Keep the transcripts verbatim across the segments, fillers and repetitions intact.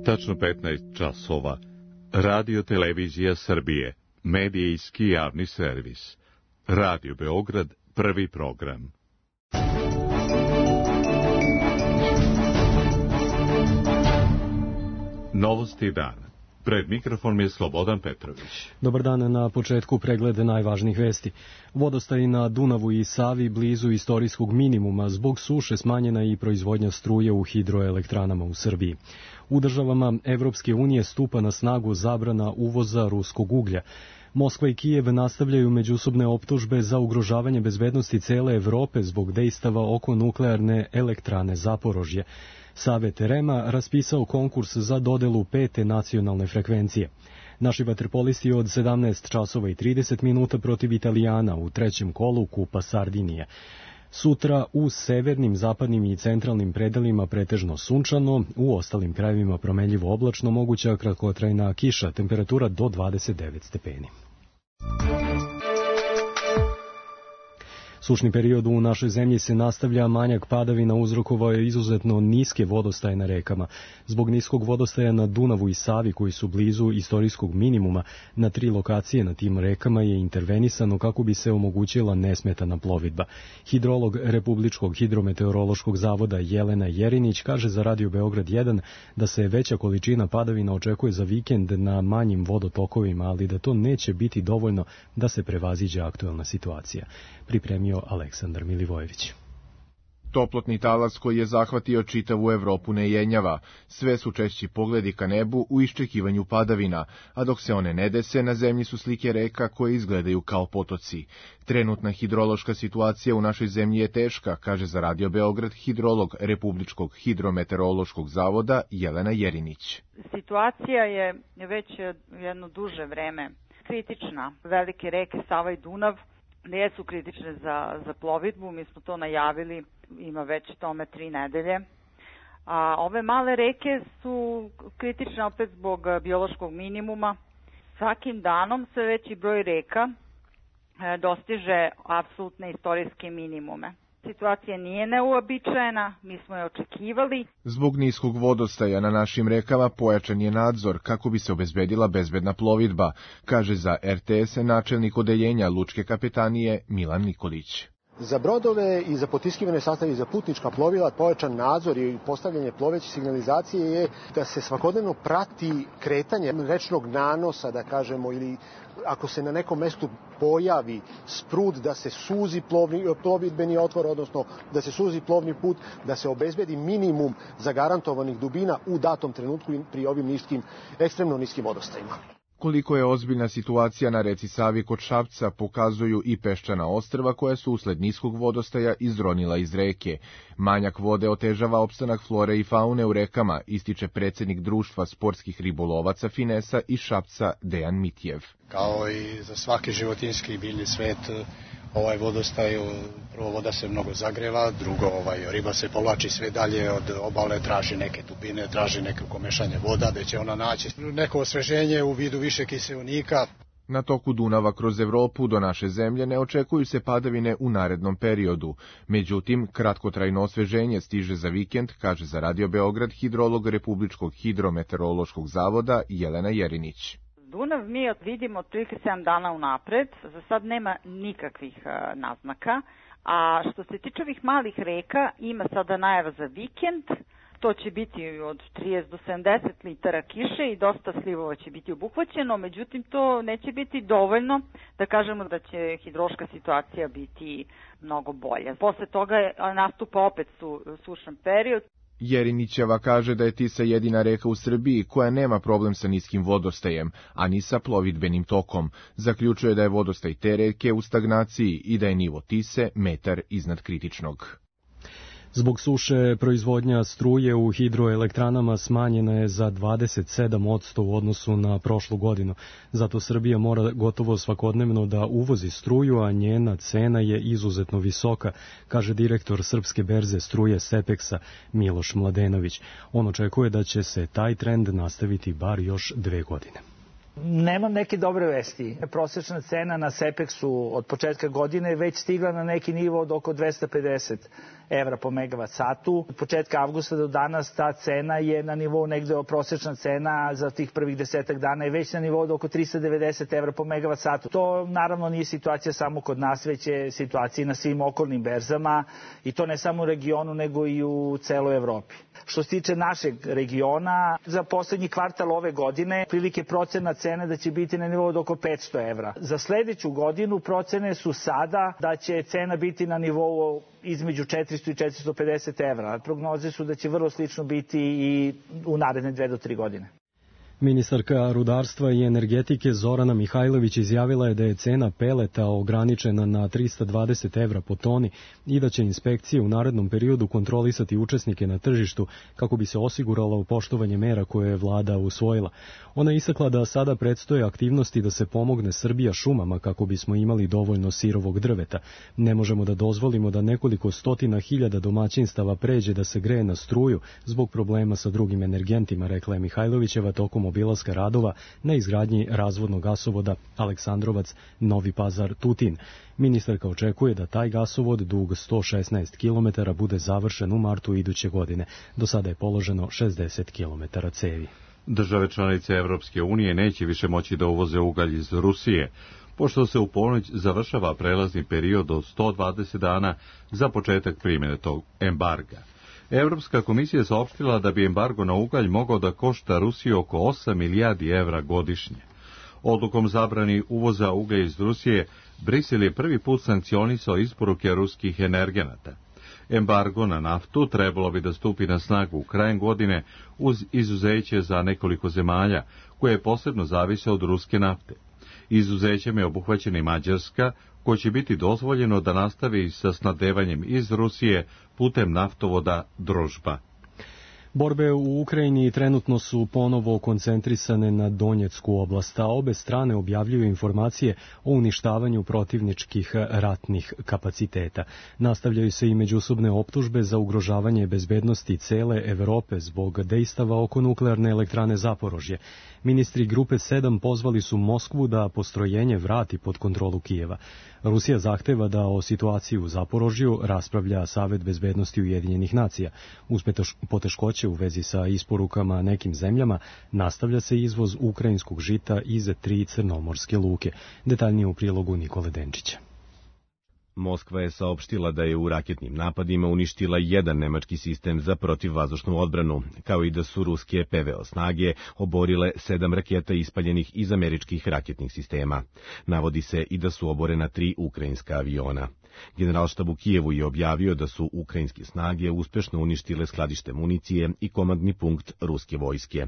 Tačno petnaest časova. Radio Televizija Srbije. Medijski javni servis. Radio Beograd, prvi program. Novosti dana. Pred mikrofonom je Slobodan Petrović. Dobar dan, na početku pregled najvažnijih vesti. Vodostaji na Dunavu i Savi blizu istorijskog minimuma, zbog suše smanjena i proizvodnja struje u hidroelektranama u Srbiji. U državama Evropske unije stupa na snagu zabrana uvoza ruskog uglja. Moskva i Kijev nastavljaju međusobne optužbe za ugrožavanje bezbednosti cele Evrope zbog dejstava oko nuklearne elektrane Zaporožje. Savet R E M-a raspisao konkurs za dodelu pete nacionalne frekvencije. Naši vaterpolisti od sedamnaest časova i trideset minuta protiv Italijana u trećem kolu Kupa Sardinije. Sutra u severnim, zapadnim i centralnim predelima pretežno sunčano, u ostalim krajevima promenljivo oblačno, moguća kratkotrajna kiša, temperatura do dvadeset devet stepeni. Sušni period u našoj zemlji se nastavlja, manjak padavina uzrokovao je izuzetno niske vodostaje na rekama. Zbog niskog vodostaja na Dunavu i Savi, koji su blizu istorijskog minimuma, na tri lokacije na tim rekama je intervenisano kako bi se omogućila nesmetana plovidba. Hidrolog Republičkog hidrometeorološkog zavoda Jelena Jerinić kaže za Radio Beograd jedan da se veća količina padavina očekuje za vikend na manjim vodotokovima, ali da to neće biti dovoljno da se prevaziđe aktuelna situacija. Pripremio Aleksandar Milivojević. Toplotni talas koji je zahvatio čitavu Evropu ne jenjava. Sve su češći pogledi ka nebu u iščekivanju padavina, a dok se one ne dese, na zemlji su slike reka koje izgledaju kao potoci. Trenutna hidrološka situacija u našoj zemlji je teška, kaže za Radio Beograd hidrolog Republičkog hidrometeorološkog zavoda Jelena Jerinić. Situacija je već jedno duže vreme kritična. Velike reke Sava i Dunav ne su kritične za, za plovidbu, mi smo to najavili, ima već tome tri nedelje. A ove male reke su kritične opet zbog biološkog minimuma. Svakim danom sve veći broj reka e, dostiže apsolutne istorijske minimume. Situacija nije neuobičajena, mi smo je očekivali. Zbog niskog vodostaja na našim rekama pojačan je nadzor kako bi se obezbedila bezbedna plovidba, kaže za R T S načelnik odeljenja Lučke kapetanije Milan Nikolić. Za brodove i za potiskivane sastave i za putnička plovila pojačan nadzor i postavljanje ploveće signalizacije je da se svakodnevno prati kretanje rečnog nanosa, da kažemo, ili ako se na nekom mestu pojavi sprud, da se suzi plovni, plovidbeni otvor, odnosno da se suzi plovni put, da se obezbedi minimum zagarantovanih dubina u datom trenutku pri ovim niskim, ekstremno niskim vodostajima. Koliko je ozbiljna situacija na reci Savi kod Šapca pokazuju i peščana ostrva koja su usled niskog vodostaja izronila iz reke. Manjak vode otežava opstanak flore i faune u rekama, ističe predsjednik društva sportskih ribolovaca Finesa iz Šapca Dejan Mitjev. Kao i za svaki životinjski i biljni svet, ovaj vodostaj, prvo voda se mnogo zagreva, drugo ovaj, riba se povlači sve dalje od obale, traži neke dubine, traži neko mešanje voda, da će ona naći neko osveženje u vidu više kiseonika. Na toku Dunava kroz Evropu do naše zemlje ne očekuju se padavine u narednom periodu. Međutim, kratkotrajno osveženje stiže za vikend, kaže za Radio Beograd hidrolog Republičkog hidrometeorološkog zavoda Jelena Jerinić. Dunav mi vidimo otprilike sedam dana unapred, za sad nema nikakvih uh, naznaka, a što se tiče ovih malih reka, ima sada najava za vikend, to će biti od trideset do sedamdeset litara kiše i dosta slivova će biti obuhvaćeno, međutim to neće biti dovoljno da kažemo da će hidrološka situacija biti mnogo bolja. Posle toga nastupa opet su, sušan period. Jerinićeva kaže da je Tisa jedina reka u Srbiji koja nema problem sa niskim vodostajem, a ni sa plovidbenim tokom. Zaključuje da je vodostaj te reke u stagnaciji i da je nivo Tise metar iznad kritičnog. Zbog suše proizvodnja struje u hidroelektranama smanjena je za dvadeset sedam posto u odnosu na prošlu godinu. Zato Srbija mora gotovo svakodnevno da uvozi struju, a njena cena je izuzetno visoka, kaže direktor Srpske berze struje Sepeksa Miloš Mladenović. On očekuje da će se taj trend nastaviti bar još dve godine. Nemam neke dobre vesti. Prosječna cena na Sepeksu od početka godine već stigla na neki nivo od oko dvesta pedeset evra po megavat satu. Od početka avgusta do danas ta cena je na nivou negde, prosečna cena za tih prvih desetak dana je već na nivou od oko tristo devedeset evra po megavat satu. To naravno nije situacija samo kod nas, već je situacija na svim okolnim berzama i to ne samo u regionu nego i u celoj Evropi. Što se tiče našeg regiona, za poslednji kvartal ove godine prilike procena cene da će biti na nivou od oko petsto evra. Za sledeću godinu procene su sada da će cena biti na nivou između četiristo i četiristo pedeset evra. Prognoze su da će vrlo slično biti i u naredne dve do tri godine. Ministarka rudarstva i energetike Zorana Mihajlović izjavila je da je cena peleta ograničena na trista dvadeset evra po toni i da će inspekcije u narednom periodu kontrolisati učesnike na tržištu kako bi se osiguralo poštovanje mera koje je vlada usvojila. Ona je istakla da sada predstoje aktivnosti da se pomogne Srbija šumama kako bismo imali dovoljno sirovog drveta. Ne možemo da dozvolimo da nekoliko stotina hiljada domaćinstava pređe da se greje na struju zbog problema sa drugim energentima, rekla je Mihajlovićeva tokom obilaska radova na izgradnji razvodnog gasovoda Aleksandrovac-Novi Pazar-Tutin. Ministarka očekuje da taj gasovod dug sto šesnaest kilometara bude završen u martu iduće godine. Do sada je položeno šezdeset kilometara cevi. Države članice Evropske unije neće više moći da uvoze ugalj iz Rusije, pošto se u ponoć završava prelazni period od sto dvadeset dana za početak primjene tog embarga. Evropska komisija je saopštila da bi embargo na ugalj mogao da košta Rusiju oko osam milijardi evra godišnje. Odlukom zabrani uvoza uglja iz Rusije, Brisel je prvi put sankcionisao isporuke ruskih energenata. Embargo na naftu trebalo bi da stupi na snagu krajem godine uz izuzeće za nekoliko zemalja, koje posebno zavise od ruske nafte. Izuzećem je obuhvaćena i Mađarska, ko će biti dozvoljeno da nastavi sa snabdevanjem iz Rusije putem naftovoda Družba. Borbe u Ukrajini trenutno su ponovo koncentrisane na Donjecku oblast, a obe strane objavljuju informacije o uništavanju protivničkih ratnih kapaciteta. Nastavljaju se i međusobne optužbe za ugrožavanje bezbednosti cele Evrope zbog dejstava oko nuklearne elektrane Zaporožje. Ministri Grupe sedam pozvali su Moskvu da postrojenje vrati pod kontrolu Kijeva. Rusija zahteva da o situaciji u Zaporožju raspravlja Savet bezbednosti Ujedinjenih nacija. Uz poteškoće u vezi sa isporukama nekim zemljama nastavlja se izvoz ukrajinskog žita iz tri crnomorske luke. Detaljnije u prilogu Nikole Denčića. Moskva je saopštila da je u raketnim napadima uništila jedan nemački sistem za protivvazdušnu odbranu, kao i da su ruske P V O snage oborile sedam raketa ispaljenih iz američkih raketnih sistema. Navodi se i da su oborena tri ukrajinska aviona. Generalštab u Kijevu je objavio da su ukrajinske snage uspešno uništile skladište municije i komandni punkt ruske vojske.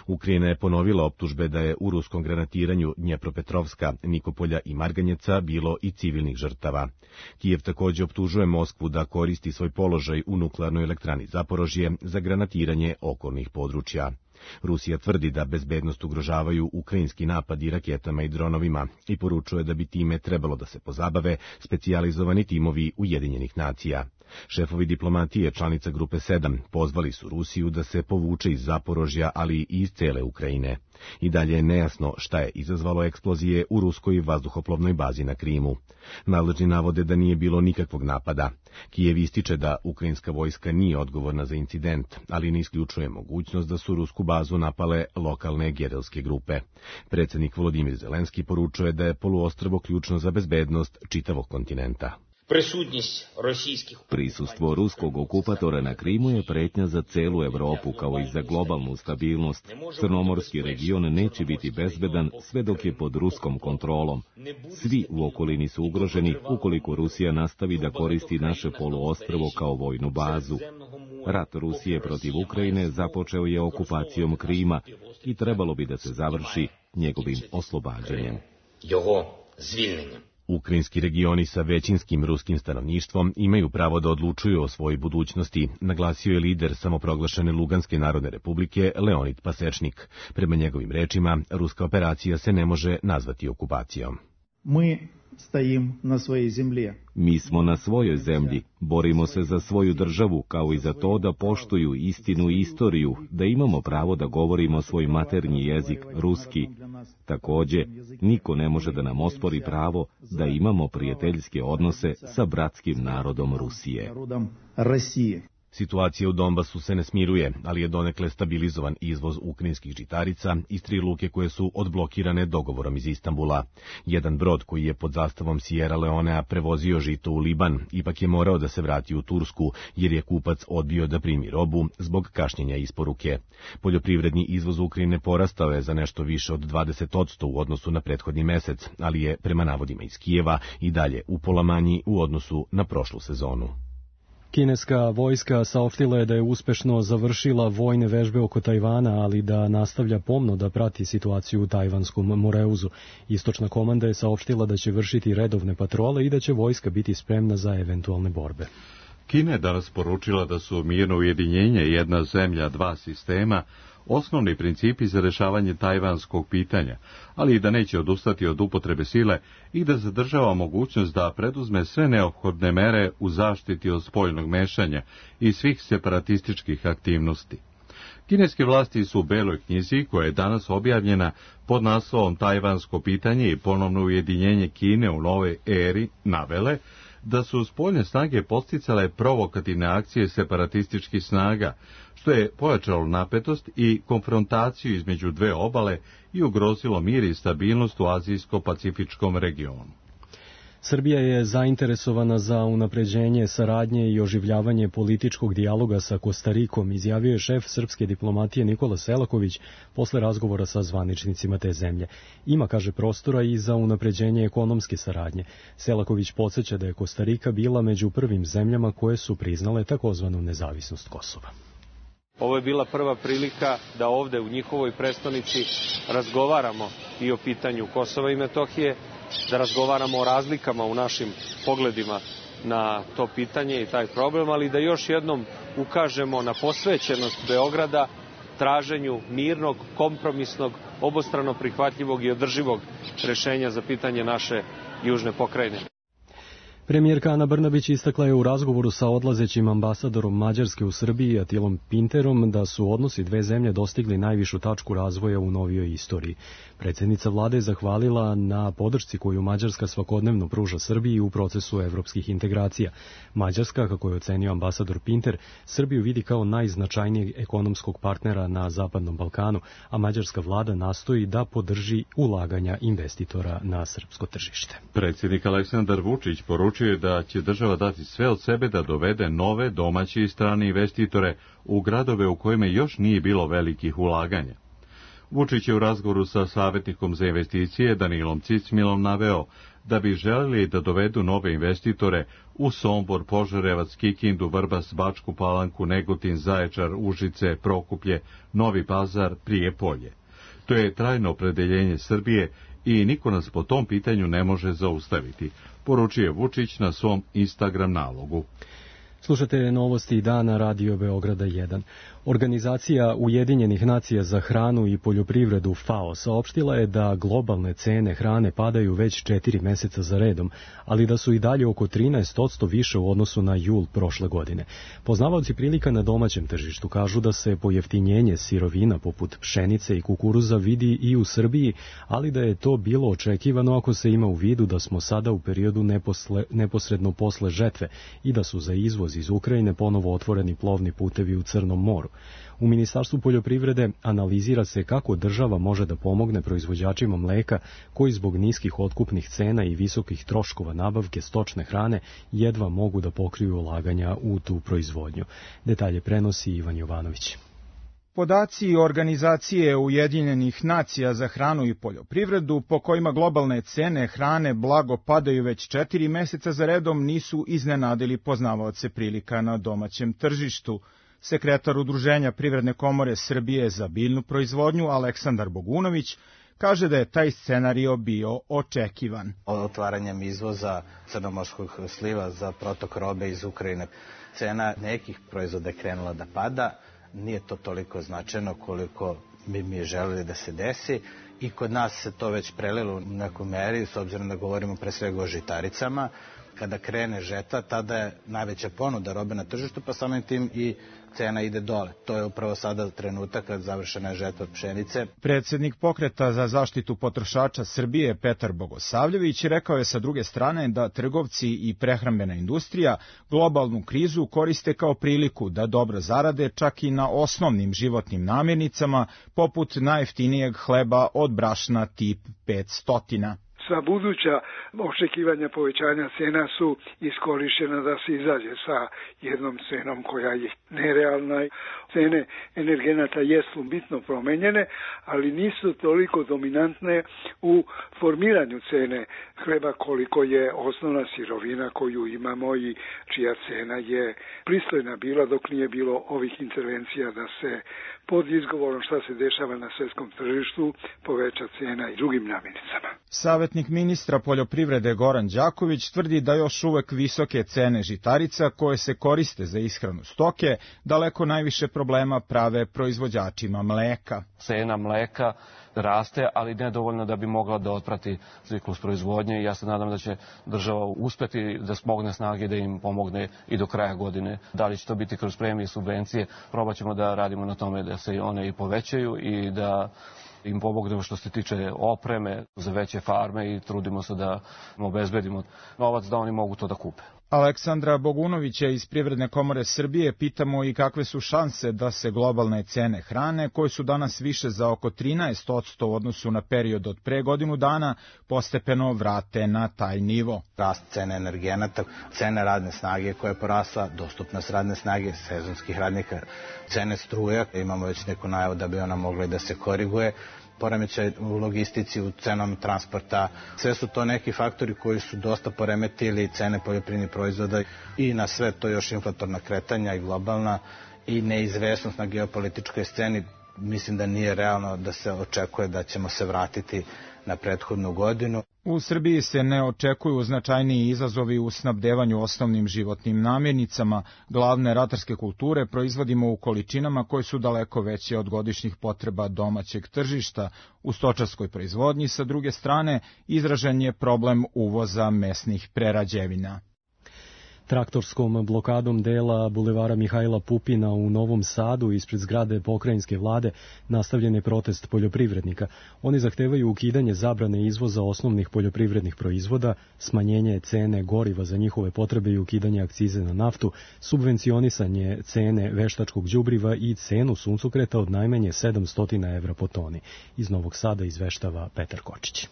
Ukrajina je ponovila optužbe da je u ruskom granatiranju Dnjepropetrovska, Nikopolja i Marganjeca bilo i civilnih žrtava. Kijev takođe optužuje Moskvu da koristi svoj položaj u nuklearnoj elektrani Zaporožje za granatiranje okolnih područja. Rusija tvrdi da bezbednost ugrožavaju ukrajinski napadi raketama i dronovima i poručuje da bi time trebalo da se pozabave specijalizovani timovi Ujedinjenih nacija. Šefovi diplomatije članica Grupe sedam pozvali su Rusiju da se povuče iz Zaporožja, ali i iz cele Ukrajine. I dalje je nejasno šta je izazvalo eksplozije u ruskoj vazduhoplovnoj bazi na Krimu. Nadležni navode da nije bilo nikakvog napada. Kijev ističe da ukrajinska vojska nije odgovorna za incident, ali ne isključuje mogućnost da su rusku bazu napale lokalne gerilske grupe. Predsjednik Volodimir Zelenski poručuje da je poluostrvo ključno za bezbednost čitavog kontinenta. Prisustvo ruskog okupatora na Krimu je pretnja za celu Evropu kao i za globalnu stabilnost. Crnomorski region neće biti bezbedan sve dok je pod ruskom kontrolom. Svi u okolini su ugroženi ukoliko Rusija nastavi da koristi naše poluostrvo kao vojnu bazu. Rat Rusije protiv Ukrajine započeo je okupacijom Krima i trebalo bi da se završi njegovim oslobađanjem. Ukrajinski regioni sa većinskim ruskim stanovništvom imaju pravo da odlučuju o svojoj budućnosti, naglasio je lider samoproglašene Luganske narodne republike Leonid Pasečnik. Prema njegovim rečima, ruska operacija se ne može nazvati okupacijom. Mi stojim na svojoj zemlji. Mi smo na svojoj zemlji, borimo se za svoju državu, kao i za to da poštuju istinu i istoriju, da imamo pravo da govorimo svoj maternji jezik, ruski. Takođe, niko ne može da nam ospori pravo da imamo prijateljske odnose sa bratskim narodom Rusije. Situacija u Donbasu se ne smiruje, ali je donekle stabilizovan izvoz ukrajinskih žitarica iz tri luke koje su odblokirane dogovorom iz Istanbula. Jedan brod koji je pod zastavom Sierra Leonea prevozio žito u Liban, ipak je morao da se vrati u Tursku, jer je kupac odbio da primi robu zbog kašnjenja isporuke. Poljoprivredni izvoz Ukrajine porastao je za nešto više od dvadeset posto u odnosu na prethodni mesec, ali je, prema navodima iz Kijeva, i dalje upola manji u odnosu na prošlu sezonu. Kineska vojska saopštila je da je uspešno završila vojne vežbe oko Tajvana, ali da nastavlja pomno da prati situaciju u tajvanskom Moreuzu. Istočna komanda je saopštila da će vršiti redovne patrole i da će vojska biti spremna za eventualne borbe. Kina je danas poručila da su mirno ujedinjenje jedna zemlja, dva sistema osnovni principi za rešavanje tajvanskog pitanja, ali i da neće odustati od upotrebe sile i da zadržava mogućnost da preduzme sve neophodne mere u zaštiti od spoljnog mešanja i svih separatističkih aktivnosti. Kineske vlasti su u Beloj knjizi, koja je danas objavljena pod naslovom Tajvansko pitanje i ponovno ujedinjenje Kine u novoj eri, navele da su spoljne snage posticale provokativne akcije separatističkih snaga, što je pojačalo napetost i konfrontaciju između dve obale i ugrozilo mir i stabilnost u azijsko-pacifičkom regionu. Srbija je zainteresovana za unapređenje saradnje i oživljavanje političkog dijaloga sa Kostarikom, izjavio je šef srpske diplomatije Nikola Selaković posle razgovora sa zvaničnicima te zemlje. Ima, kaže, prostora i za unapređenje ekonomske saradnje. Selaković podsjeća da je Kostarika bila među prvim zemljama koje su priznale takozvanu nezavisnost Kosova. Ovo je bila prva prilika da ovde u njihovoj prestonici razgovaramo i o pitanju Kosova i Metohije, da razgovaramo o razlikama u našim pogledima na to pitanje i taj problem, ali da još jednom ukažemo na posvećenost Beograda traženju mirnog, kompromisnog, obostrano prihvatljivog i održivog rešenja za pitanje naše južne pokrajine. Premijerka Ana Brnabić istakla je u razgovoru sa odlazećim ambasadorom Mađarske u Srbiji, Atilom Pinterom, da su odnosi dve zemlje dostigli najvišu tačku razvoja u novijoj istoriji. Predsjednica vlade je zahvalila na podršci koju Mađarska svakodnevno pruža Srbiji u procesu evropskih integracija. Mađarska, kako je ocenio ambasador Pinter, Srbiju vidi kao najznačajnijeg ekonomskog partnera na Zapadnom Balkanu, a mađarska vlada nastoji da podrži ulaganja investitora na srpsko tržište. Predsjednik Aleksandar Vučić poručio je da će država dati sve od sebe da dovede nove domaće i strane investitore u gradove u kojima još nije bilo velikih ulaganja. Vučić je u razgovoru sa savjetnikom za investicije Danilom Cicmilom naveo da bi želeli da dovedu nove investitore u Sombor, Požarevac, Kikindu, Vrbas, Bačku Palanku, Negotin, Zaječar, Užice, Prokuplje, Novi Pazar, Prijepolje. To je trajno opredeljenje Srbije i niko nas po tom pitanju ne može zaustaviti, poručuje Vučić na svom Instagram nalogu. Slušate novosti dana Radio Beograda jedan. Organizacija Ujedinjenih nacija za hranu i poljoprivredu FAO saopštila je da globalne cene hrane padaju već četiri meseca za redom, ali da su i dalje oko trinaest posto više u odnosu na jul prošle godine. Poznavaoci prilika na domaćem tržištu kažu da se pojeftinjenje sirovina poput pšenice i kukuruza vidi i u Srbiji, ali da je to bilo očekivano ako se ima u vidu da smo sada u periodu neposle, neposredno posle žetve i da su za izvoz iz Ukrajine ponovo otvoreni plovni putevi u Crnom moru. U Ministarstvu poljoprivrede analizira se kako država može da pomogne proizvođačima mleka koji zbog niskih otkupnih cena i visokih troškova nabavke stočne hrane jedva mogu da pokriju ulaganja u tu proizvodnju. Detalje prenosi Ivan Jovanović. Podaci Organizacije Ujedinjenih nacija za hranu i poljoprivredu, po kojima globalne cene hrane blago padaju već četiri meseca za redom, nisu iznenadili poznavaoce prilika na domaćem tržištu. Sekretar Udruženja Privredne komore Srbije za biljnu proizvodnju Aleksandar Bogunović kaže da je taj scenario bio očekivan. Otvaranjem izvoza crnomorskog sliva za protok robe iz Ukrajine, cena nekih proizvoda je krenula da pada. Nije to toliko značajno koliko bi mi želeli da se desi i kod nas se to već prelilo u neku meri, s obzirom da govorimo pre svega o žitaricama. Kada krene žetva, tada je najveća ponuda robe na tržištu, pa samim tim i cena ide dole. To je upravo sada trenutak kad završena je žetva pšenice. Predsednik Pokreta za zaštitu potrošača Srbije Petar Bogosavljević rekao je sa druge strane da trgovci i prehrambena industrija globalnu krizu koriste kao priliku da dobro zarade čak i na osnovnim životnim namirnicama poput najjeftinijeg hleba od brašna tip petsto. Sva buduća očekivanja povećanja cena su iskorištena da se izađe sa jednom cenom koja je nerealna. Cene energenata jesu bitno promenjene, ali nisu toliko dominantne u formiranju cene hleba koliko je osnovna sirovina koju imamo i čija cena je pristojna bila dok nije bilo ovih intervencija da se pod izgovorom šta se dešava na svetskom tržištu poveća cena i drugim namirnicama. Savetnik ministra poljoprivrede Goran Đaković tvrdi da još uvek visoke cene žitarica koje se koriste za ishranu stoke daleko najviše problema prave proizvođačima mleka. Cena mleka raste, ali nedovoljno da bi mogla da otprati ciklus proizvodnje i ja se nadam da će država uspeti da smogne snage da im pomogne i do kraja godine. Da li će to biti kroz premije i subvencije, probat ćemo da radimo na tome da se one i povećaju i da im pomognemo što se tiče opreme za veće farme i trudimo se da obezbedimo novac da oni mogu to da kupe. Aleksandra Bogunovića iz Privredne komore Srbije pitamo i kakve su šanse da se globalne cene hrane, koje su danas više za oko trinaest posto u odnosu na period od pre godinu dana, postepeno vrate na taj nivo. Rast cene energenata, cene radne snage koja je porasla, dostupnost radne snage, sezonskih radnika, cene struje, imamo već neku najavu da bi ona mogla da se koriguje, poremećaj u logistici, u cenom transporta. Sve su to neki faktori koji su dosta poremetili cene poljoprivrednih proizvoda i na sve to još inflatorna kretanja i globalna i neizvesnost na geopolitičkoj sceni. Mislim da nije realno da se očekuje da ćemo se vratiti na prethodnu godinu. U Srbiji se ne očekuju značajniji izazovi u snabdevanju osnovnim životnim namirnicama. Glavne ratarske kulture proizvodimo u količinama koje su daleko veće od godišnjih potreba domaćeg tržišta. U stočarskoj proizvodnji, sa druge strane, izražen je problem uvoza mesnih prerađevina. Traktorskom blokadom dela bulevara Mihajla Pupina u Novom Sadu ispred zgrade pokrajinske vlade nastavljen je protest poljoprivrednika. Oni zahtevaju ukidanje zabrane izvoza osnovnih poljoprivrednih proizvoda, smanjenje cene goriva za njihove potrebe i ukidanje akcize na naftu, subvencionisanje cene veštačkog đubriva i cenu suncokreta od najmanje sedamsto evra po toni. Iz Novog Sada izveštava Petar Kočić.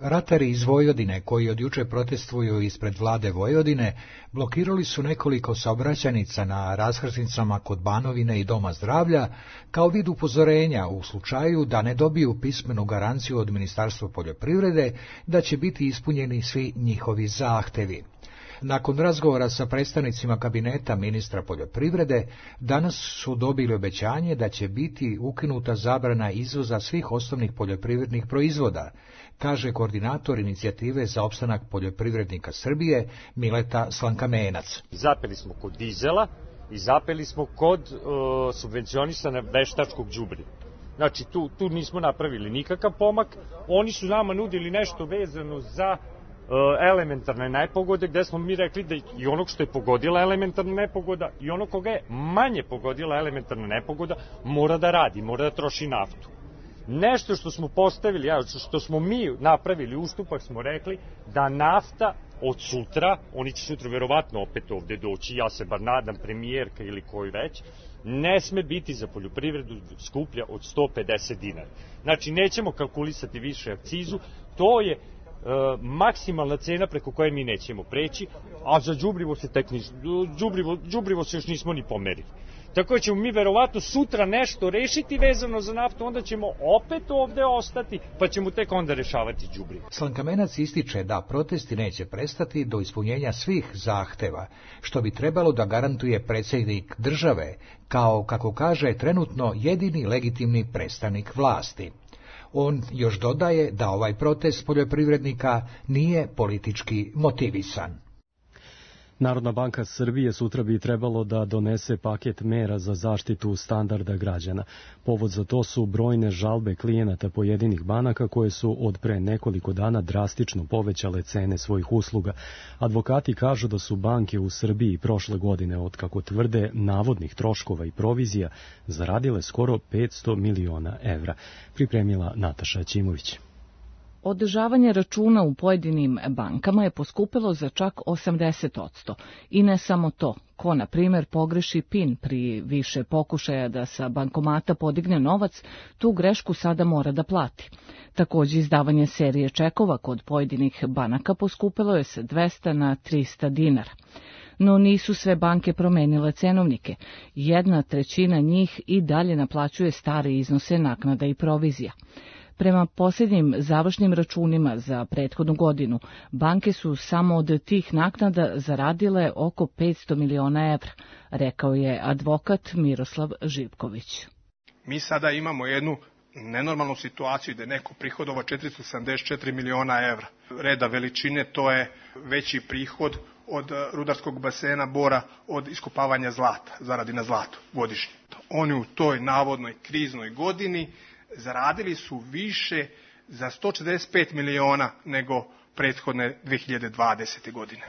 Ratari iz Vojvodine, koji od juče protestuju ispred vlade Vojvodine, blokirali su nekoliko saobraćajnica na raskrsnicama kod Banovine i Doma zdravlja, kao vid upozorenja u slučaju da ne dobiju pismenu garanciju od Ministarstva poljoprivrede da će biti ispunjeni svi njihovi zahtevi. Nakon razgovora sa predstavnicima kabineta ministra poljoprivrede, danas su dobili obećanje da će biti ukinuta zabrana izvoza svih osnovnih poljoprivrednih proizvoda, kaže koordinator inicijative za opstanak poljoprivrednika Srbije Mileta Slankamenac. Zapeli smo kod dizela i zapeli smo kod uh, subvencionisana veštačkog đubriva. Znači tu, tu nismo napravili nikakav pomak, oni su nama nudili nešto vezano za elementarne nepogode, gde smo mi rekli da i onog što je pogodila elementarna nepogoda i ono koga je manje pogodila elementarna nepogoda mora da radi, mora da troši naftu. Nešto što smo postavili, što smo mi napravili ustupak, smo rekli da nafta od sutra, oni će sutra verovatno opet ovde doći, ja se bar nadam, premijerka ili koji već, ne sme biti za poljoprivredu skuplja od sto pedeset dinara. Znači, nećemo kalkulisati više akcizu, to je Uh, maksimalna cena preko koje mi nećemo preći, a za đubrivo se tek nis, đubrivo, đubrivo se još nismo ni pomerili. Tako da ćemo mi verovatno sutra nešto rešiti vezano za naftu, onda ćemo opet ovde ostati, pa ćemo tek onda rešavati đubrivo. Slankamenac ističe da protesti neće prestati do ispunjenja svih zahteva, što bi trebalo da garantuje predsjednik države, kao, kako kaže, trenutno jedini legitimni predstavnik vlasti. On još dodaje da ovaj protest poljoprivrednika nije politički motivisan. Narodna banka Srbije sutra bi trebalo da donese paket mera za zaštitu standarda građana. Povod za to su brojne žalbe klijenata pojedinih banaka koje su od pre nekoliko dana drastično povećale cene svojih usluga. Advokati kažu da su banke u Srbiji prošle godine, od kako tvrde navodnih troškova i provizija, zaradile skoro petsto miliona evra. Pripremila Nataša Ćimović. Održavanje računa u pojedinim bankama je poskupilo za čak osamdeset posto. I ne samo to. Ko, na primjer, pogreši PIN pri više pokušaja da sa bankomata podigne novac, tu grešku sada mora da plati. Također, izdavanje serije čekova kod pojedinih banaka poskupilo je sa dvesta na trista dinara. No nisu sve banke promenile cenovnike. Jedna trećina njih i dalje naplaćuje stare iznose naknada i provizija. Prema posljednjim završnim računima za prethodnu godinu, banke su samo od tih naknada zaradile oko petsto miliona evra, rekao je advokat Miroslav Živković. Mi sada imamo jednu nenormalnu situaciju gde neko prihodova četiristo sedamdeset četiri miliona evra. Reda veličine, to je veći prihod od rudarskog basena Bora od iskopavanja zlata, zaradi na zlatu godišnje. Oni u toj navodnoj kriznoj godini zaradili su više za sto četrdeset pet miliona nego prethodne dve hiljade dvadesete. godine.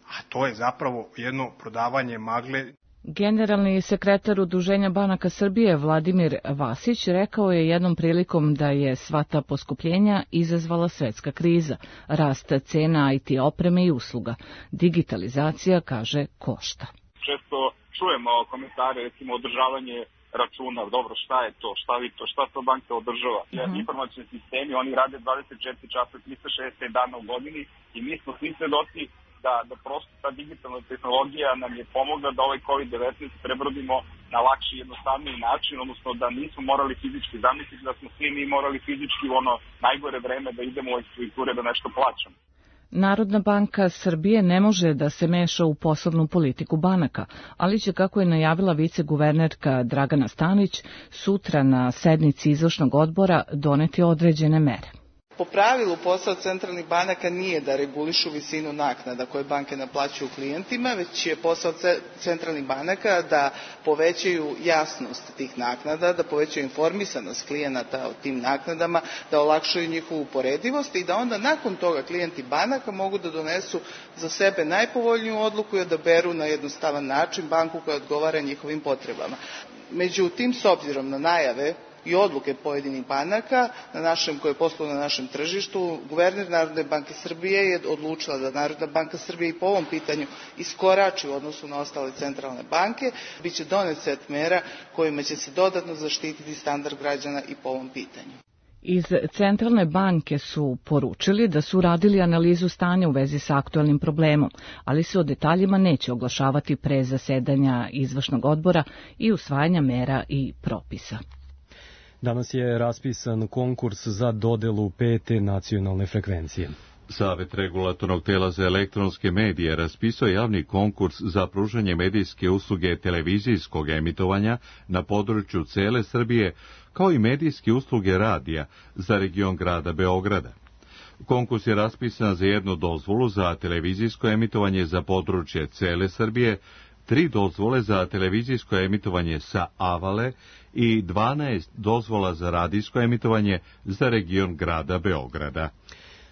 A to je zapravo jedno prodavanje magle. Generalni sekretar Udruženja banaka Srbije Vladimir Vasić rekao je jednom prilikom da je sva ta poskupljenja izazvala svetska kriza, rast cena I T opreme I usluga. Digitalizacija, kaže, košta. Često čujemo komentare, recimo održavanje računa, dobro, šta je to, šta vi to, šta to banka održava. Uh-huh. Informacioni sistemi, oni rade dvadeset četiri časa, trista šezdeset pet dana u godini i mi smo svi svedoci da, da prosto ta digitalna tehnologija nam je pomogla da ovaj kovid devetnaest prebrodimo na lakši i jednostavniji način, odnosno da nismo morali fizički zamisliti, da smo svi mi morali fizički u ono najgore vreme da idemo u ekspediture da nešto plaćamo. Narodna banka Srbije ne može da se meša u poslovnu politiku banaka, ali će, kako je najavila viceguvernerka Dragana Stanić, sutra na sednici izvršnog odbora doneti određene mere. Po pravilu posao centralnih banaka nije da regulišu visinu naknada koje banke naplaćuju klijentima, već je posao centralnih banaka da povećaju jasnost tih naknada, da povećaju informisanost klijenata o tim naknadama, da olakšaju njihovu uporedivost i da onda nakon toga klijenti banaka mogu da donesu za sebe najpovoljniju odluku i odaberu na jednostavan način banku koja odgovara njihovim potrebama. Međutim, s obzirom na najave I odluke pojedinih banaka na našem, koje posluju na našem tržištu, guverner Narodne banke Srbije je odlučila da Narodna banka Srbije I po ovom pitanju iskorači u odnosu na ostale centralne banke. Biće donet set mera kojima će se dodatno zaštititi standard građana I po ovom pitanju. Iz Centralne banke su poručili da su radili analizu stanja u vezi sa aktualnim problemom, ali se o detaljima neće oglašavati pre zasedanja izvršnog odbora I usvajanja mera I propisa. Danas je raspisan konkurs za dodelu pete nacionalne frekvencije. Savet regulatornog tela za elektronske medije raspisao javni konkurs za pružanje medijske usluge televizijskog emitovanja na području cele Srbije, kao I medijske usluge radija za region grada Beograda. Konkurs je raspisan za jednu dozvolu za televizijsko emitovanje za područje cele Srbije, tri dozvole za televizijsko emitovanje sa Avale I dvanaest dozvola za radijsko emitovanje za region grada Beograda.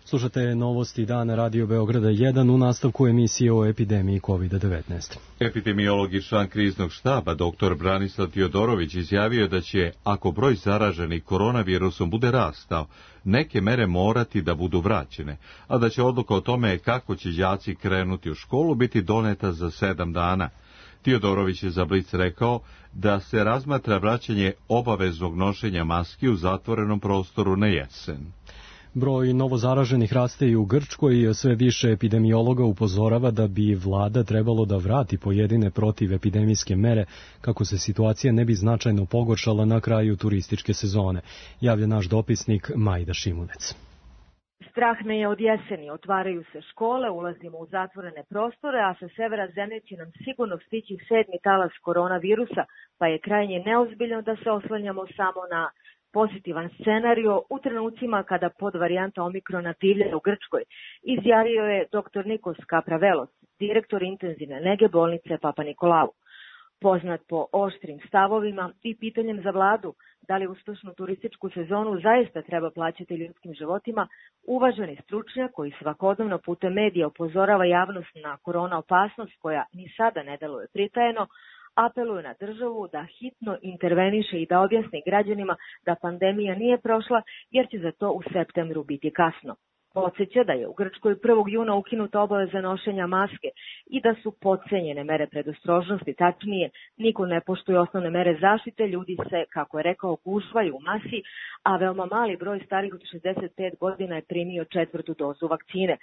Slušate novosti dana Radio Beograda jedan u nastavku emisije o epidemiji kovid devetnaest. Epidemiolog I član kriznog štaba dr Branislav Tiodorović izjavio da će, ako broj zaraženih koronavirusom bude rastao, neke mere morati da budu vraćene, a da će odluka o tome kako će đaci krenuti u školu biti doneta za sedam dana. Tiodorović je za Blic rekao da se razmatra vraćanje obaveznog nošenja maski u zatvorenom prostoru na jesen. Broj novozaraženih raste I u Grčkoj, sve više epidemiologa upozorava da bi vlada trebalo da vrati pojedine protivepidemijske mere kako se situacija ne bi značajno pogoršala na kraju turističke sezone, javlja naš dopisnik Majda Šimunec. Strah me je od jeseni, otvaraju se škole, ulazimo u zatvorene prostore, a sa severa zemlje će nam sigurno stići sedmi talas koronavirusa, pa je krajnje neozbiljno da se oslanjamo samo na pozitivan scenario u trenucima kada podvarijanta omikrona divlja u Grčkoj, izjavio je dr Nikos Kapravelos, direktor intenzivne nege bolnice Papa Nikolau. Poznat po oštrim stavovima i pitanjem za vladu da li uspešnu turističku sezonu zaista treba plaćati ljudskim životima, uvaženi stručnjak koji svakodnevno putem medija upozorava javnost na korona opasnost koja ni sada ne deluje pritajeno, apeluje na državu da hitno interveniše i da objasni građanima da pandemija nije prošla jer će za to u septembru biti kasno. Podseća da je u Grčkoj prvog juna ukinuta obaveza nošenja maske i da su podcenjene mere predostrožnosti, tačnije, niko ne poštuje osnovne mere zaštite, ljudi se, kako je rekao, gužvaju u masi, a veoma mali broj starih od šezdeset pet godina je primio četvrtu dozu vakcine.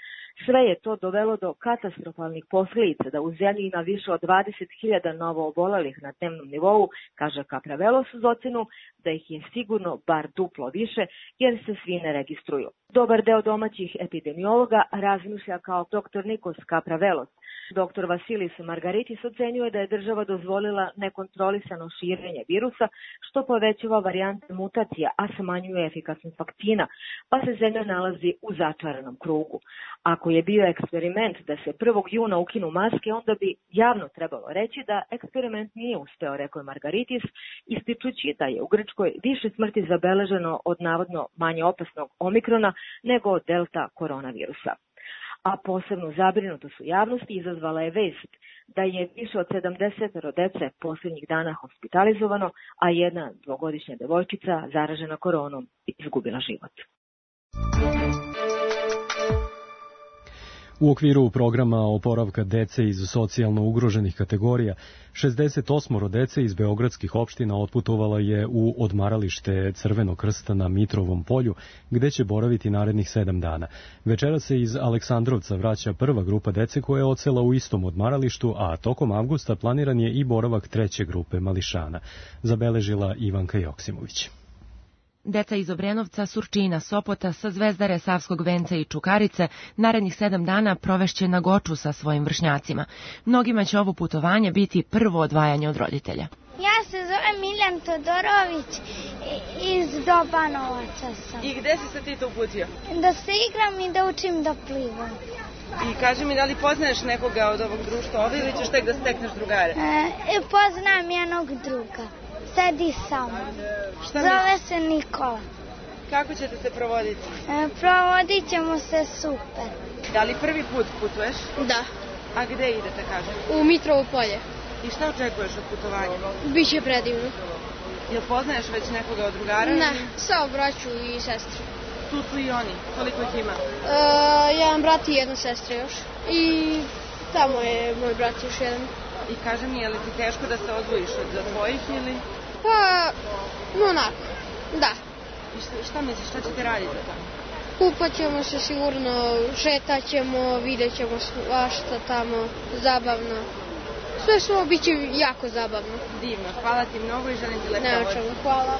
Sve je to dovelo do katastrofalnih posljedica da u zemlji ima više od dvadeset hiljada novo obolelih na dnevnom nivou, kaže Kapravelos uz ocenu da ih je sigurno bar duplo više jer se svi ne registruju. Dobar deo domaćih epidemiologa razmišlja kao doktor Nikos Kapravelos. Doktor Vasilis Margaritis ocenjuje da je država dozvolila nekontrolisano širenje virusa, što povećava varijante mutacija, a smanjuje efikasnost vakcina, pa se zemlja nalazi u začaranom krugu. Ako je bio eksperiment da se prvog juna ukinu maske, onda bi javno trebalo reći da eksperiment nije uspeo, rekao je Margaritis, ističući da je u Grčkoj više smrti zabeleženo od navodno manje opasnog omikrona nego od delta koronavirusa. A posebnu zabrinutost u javnosti izazvala je vest da je više od sedamdeset dece posljednjih dana hospitalizovano, a jedna dvogodišnja devojčica zaražena koronom izgubila život. U okviru programa oporavka dece iz socijalno ugroženih kategorija, šezdeset osam dece iz beogradskih opština otputovala je u odmaralište Crvenog krsta na Mitrovom polju, gde će boraviti narednih sedam dana. Večera se iz Aleksandrovca vraća prva grupa dece koja je odsela u istom odmaralištu, a tokom avgusta planiran je i boravak treće grupe mališana, zabeležila Ivanka Joksimović. Deca iz Obrenovca, Surčina, Sopota, sa Zvezdare, Savskog venca i Čukarice narednih sedam dana provešće na Goču sa svojim vršnjacima. Mnogima će ovo putovanje biti prvo odvajanje od roditelja. Ja se zovem Miljan Todorović iz Dobanovaca sam. I gde si se ti to uputio? Da se igram i da učim da plivam. I kaži mi, da li poznaješ nekoga od ovog društva ovdje ili ćeš tek da stekneš drugare? E, poznam jednog druga. Sedi sa mnom. Zove se Nikola. Kako ćete se provoditi? E, provodit ćemo se super. Da li prvi put putuješ? Da. A gde idete, kažem? U Mitrovo polje. I šta očekuješ od putovanja? Biće predivno. Jel poznaješ već nekoga od drugara? Ne, samo braću i sestru. Tu su i oni. Koliko ih ima? E, jedan brat i jedna sestra još. I tamo je moj brat još jedan. I kaže mi, je li ti teško da se odvojiš od tvojih ili? Pa, onako, da. I šta, šta misliš, šta ćete raditi tamo? Kupat ćemo se sigurno, šetat ćemo, vidjet ćemo svašta tamo, zabavno. Sve što bit će jako zabavno. Divno, hvala ti mnogo i želim ti lepo. Ne očemo, hvala.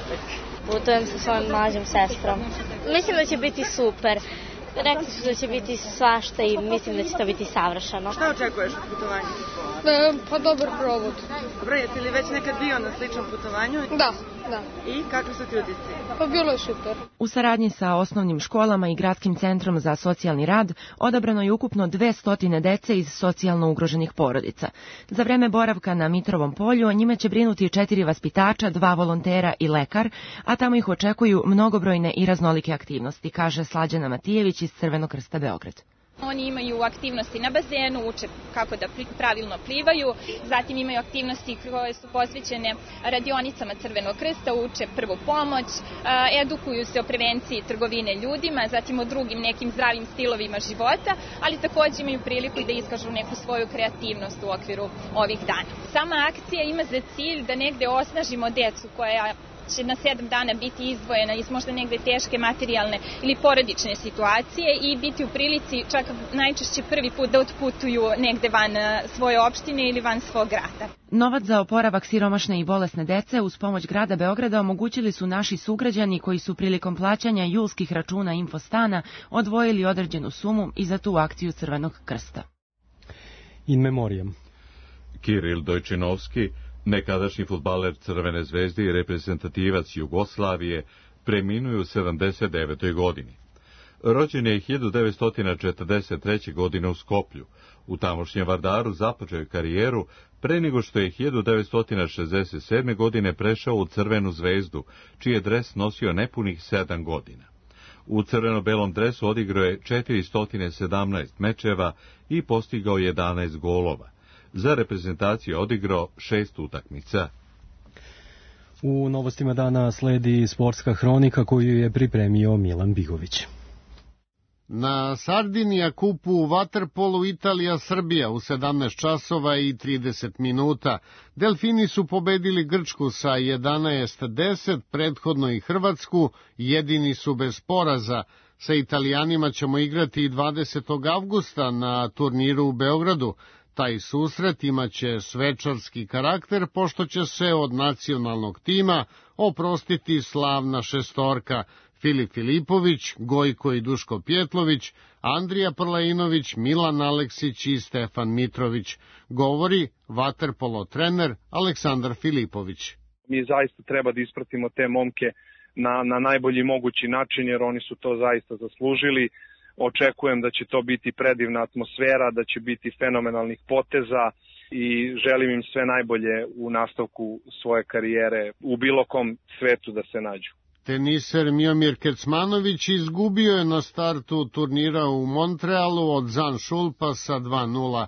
Putujem sa svojom mlađom sestrom. Mislim da će biti super. Rekli su da će biti svašta i mislim da će to biti savršeno. Šta očekuješ od putovanja? E, pa dobar provod. Dobro, jesi li već nekad bio na sličnom putovanju? Da, da. I kakvi su ti utisci? Pa bilo je super. U saradnji sa osnovnim školama i Gradskim centrom za socijalni rad odabrano je ukupno dvesta dece iz socijalno ugroženih porodica. Za vreme boravka na Mitrovom polju njima će brinuti četiri vaspitača, dva volontera i lekar, a tamo ih očekuju mnogobrojne i raznolike aktivnosti, kaže Slađana Matijević iz Crvenog krsta Beograd. Oni imaju aktivnosti na bazenu, uče kako da pravilno plivaju, zatim imaju aktivnosti koje su posvećene radionicama Crvenog krsta, uče prvu pomoć, edukuju se o prevenciji trgovine ljudima, zatim o drugim nekim zdravim stilovima života, ali također imaju priliku i da iskažu neku svoju kreativnost u okviru ovih dana. Sama akcija ima za cilj da negde osnažimo decu koja će na sedam dana biti izdvojena iz možda negde teške materijalne ili porodične situacije i biti u prilici čak najčešće prvi put da otputuju negde van svoje opštine ili van svog grada. Novac za oporavak siromašne i bolesne dece uz pomoć grada Beograda omogućili su naši sugrađani koji su prilikom plaćanja julskih računa Infostana odvojili određenu sumu i za tu akciju Crvenog krsta. In memoriam. Kiril Dojčinovski, nekadašnji fudbaler Crvene zvezde i reprezentativac Jugoslavije, preminuo u sedamdeset devetoj godini. Rođen je hiljadu devetsto četrdeset treće. godine u Skoplju. U tamošnjem Vardaru započeo je karijeru pre nego što je hiljadu devetsto šezdeset sedme. godine prešao u Crvenu zvezdu, čiji je dres nosio nepunih sedam godina. U crveno-belom dresu odigrao je četiristo sedamnaest mečeva i postigao jedanaest golova. Za reprezentaciju odigrao šest utakmica. U novostima dana sledi sportska hronika koju je pripremio Milan Bigović. Na Sardinija kupu u vaterpolu Italija-Srbija u sedamnaest časova i trideset minuta. Delfini su pobedili Grčku sa jedanaest deset, prethodno i Hrvatsku, jedini su bez poraza. Sa Italijanima ćemo igrati dvadesetog avgusta na turniru u Beogradu. Taj susret imaće svečarski karakter, pošto će se od nacionalnog tima oprostiti slavna šestorka Filip Filipović, Gojko i Duško Pjetlović, Andrija Prlainović, Milan Aleksić i Stefan Mitrović, govori vaterpolo trener Aleksandar Filipović. Mi zaista treba da ispratimo te momke na, na najbolji mogući način, jer oni su to zaista zaslužili. Očekujem da će to biti predivna atmosfera, da će biti fenomenalnih poteza i želim im sve najbolje u nastavku svoje karijere u bilo kom svetu da se nađu. Teniser Miomir Kecmanović izgubio je na startu turnira u Montrealu od Zan Šulpa sa dva nula.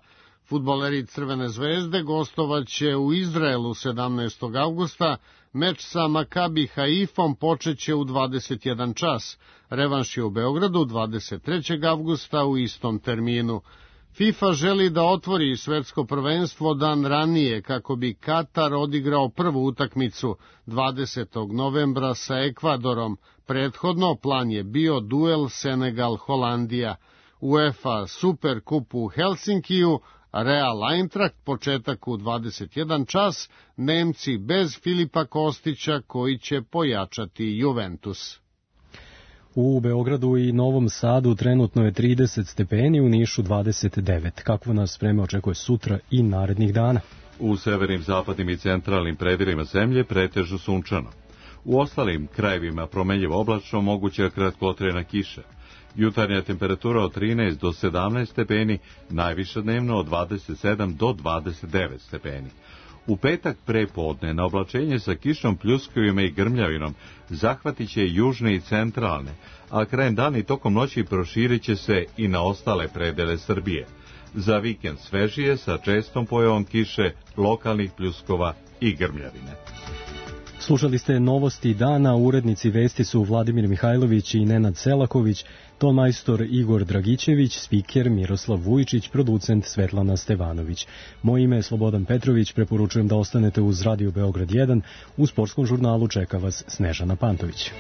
Fudbaleri Crvene zvezde gostovaće u Izraelu sedamnaestog avgusta, meč sa Makabi Haifom počeće u dvadeset jedan čas. Revanš je u Beogradu dvadeset trećeg avgusta u istom terminu. FIFA želi da otvori svetsko prvenstvo dan ranije kako bi Katar odigrao prvu utakmicu dvadesetog novembra sa Ekvadorom. Prethodno plan je bio duel Senegal-Holandija. UEFA Super Kup u Helsinkiju, Real Eintracht početak u dvadeset jedan čas, Nemci bez Filipa Kostića koji će pojačati Juventus. U Beogradu i Novom Sadu trenutno je trideset stepeni, u Nišu dvadeset devet. Kakvo nas vreme očekuje sutra i narednih dana? U severnim, zapadnim i centralnim predelima zemlje pretežno sunčano. U ostalim krajevima promenljivo oblačno, moguća kratkotrajna kiša. Jutarnja temperatura od trinaest do sedamnaest stepeni, najviša dnevno od dvadeset sedam do dvadeset devet stepeni. U petak prepodne na oblačenje sa kišom, pljuskovima i grmljavinom zahvatit će južne i centralne, a krajem dana i tokom noći proširit će se i na ostale predele Srbije. Za vikend svežije sa čestom pojavom kiše, lokalnih pljuskova i grmljavine. Slušali ste novosti dana, urednici vesti su Vladimir Mihajlović i Nenad Selaković, tonmajstor Igor Dragićević, spiker Miroslav Vujičić, producent Svetlana Stevanović. Moje ime je Slobodan Petrović, preporučujem da ostanete uz Radio Beograd jedan, u sportskom žurnalu čeka vas Snežana Pantović.